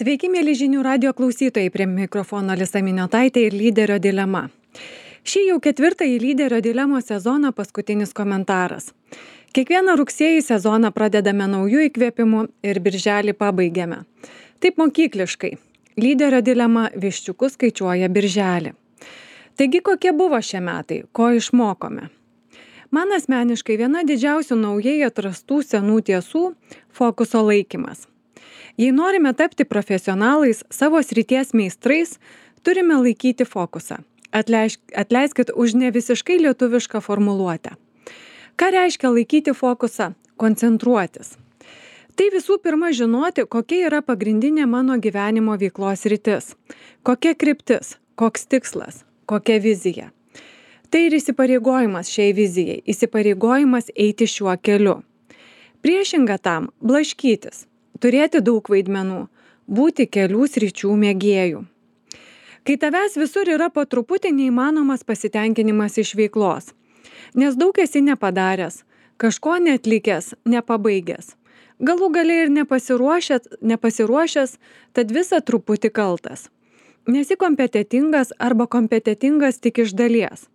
Sveiki, mėly žinių radio klausytojai, prie mikrofono Alisa Miniotaitė ir lyderio dilema. Šį jau ketvirtąjį lyderio dilemos sezoną paskutinis komentaras. Kiekvieną rugsėjį sezoną pradedame naujų įkvėpimų ir birželį pabaigiame. Taip mokykliškai. Lyderio dilema viščiukus skaičiuoja birželį. Taigi kokie buvo šie metai, ko išmokome? Man asmeniškai viena didžiausių naujai atrastų senų tiesų – fokuso laikymas. Jei norime tapti profesionalais, savo srities meistrais, turime laikyti fokusą. Atleiskit už ne visiškai lietuvišką formuluotę. Ką reiškia laikyti fokusą? Koncentruotis. Tai visų pirma žinoti, kokia yra pagrindinė mano gyvenimo veiklos sritis, kokia kryptis, koks tikslas, kokia vizija. Tai ir įsipareigojimas šiai vizijai, įsipareigojimas eiti šiuo keliu. Priešinga tam – blaškytis, turėti daug vaidmenų, būti kelių sričių mėgėjų. Kai tavęs visur yra po truputį neįmanomas pasitenkinimas iš veiklos, nes daug esi nepadaręs, kažko neatlikęs, nepabaigęs. Galų gale ir nepasiruošęs, tad visą truputį kaltas. Nesi kompetentingas arba kompetentingas tik iš dalies.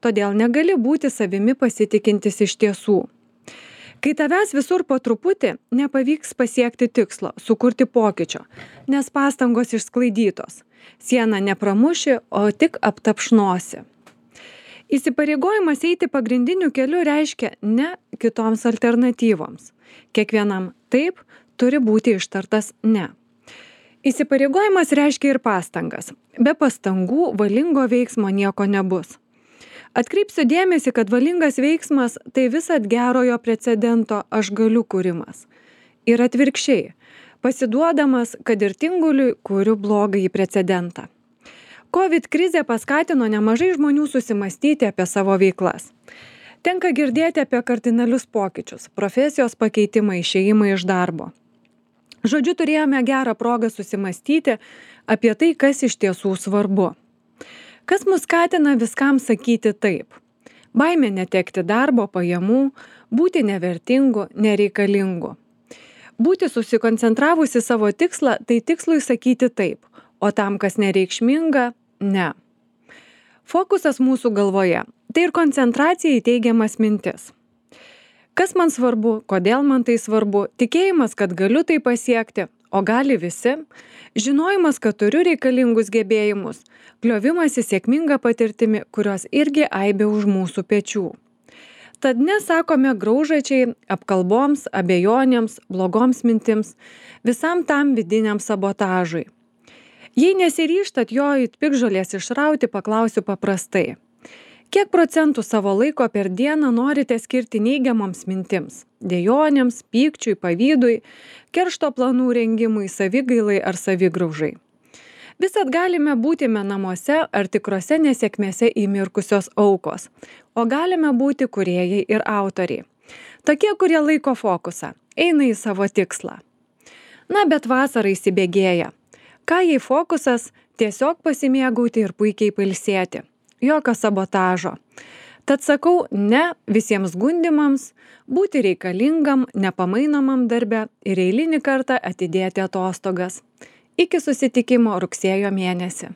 Todėl negali būti savimi pasitikintis iš tiesų. Kai tavęs visur po truputį, nepavyks pasiekti tikslo, sukurti pokyčio, nes pastangos išsklaidytos. Sieną nepramuši, o tik aptapšnosi. Įsipareigojimas eiti pagrindiniu keliu reiškia ne kitoms alternatyvoms. Kiekvienam taip turi būti ištartas ne. Įsipareigojimas reiškia ir pastangas. Be pastangų valingo veiksmo nieko nebus. Atkreipsiu dėmesį, kad valingas veiksmas tai visad gerojo precedento aš galiu kūrimas. Ir atvirkščiai, pasiduodamas, kad ir tinguliui kuriu blogąjį precedentą. COVID krizė paskatino nemažai žmonių susimastyti apie savo veiklas. Tenka girdėti apie kardinalius pokyčius, profesijos pakeitimą, išėjimą iš darbo. Žodžiu, turėjome gerą progą susimastyti apie tai, kas iš tiesų svarbu. Kas mus skatina viskam sakyti taip? Baimė netekti darbo, pajamų, būti nevertingu, nereikalingu. Būti susikoncentravusi savo tikslą, tai tikslui sakyti taip, o tam, kas nereikšminga, ne. Fokusas mūsų galvoje – tai ir koncentracija į teigiamas mintis. Kas man svarbu, kodėl man tai svarbu, tikėjimas, kad galiu tai pasiekti, o gali visi, žinojimas, kad turiu reikalingus gebėjimus, kliovimasis sėkminga patirtimi, kurios irgi aibė už mūsų pečių. Tad nesakome graužačiai, apkalboms, abejonėms, blogoms mintims, visam tam vidiniam sabotažui. Jei nesiryžtat jo it piktžolės išrauti, paklausiu paprastai. Kiek procentų savo laiko per dieną norite skirti neigiamoms mintims, dejonėms, pykčiui, pavydui, keršto planų rengimui, savigailai ar savigraužai? Visad galime būti namuose ar tikrose nesėkmėse įmirkusios aukos, o galime būti kūrėjai ir autoriai. Tokie, kurie laiko fokusą, eina į savo tikslą. Na, bet vasara įsibėgėja. Ką jei fokusas tiesiog pasimėgauti ir puikiai pailsėti? Jokio sabotažo. Tad sakau ne visiems gundimams, būti reikalingam, nepamainomam darbe ir eilinį kartą atidėti atostogas. Iki susitikimo rugsėjo mėnesį.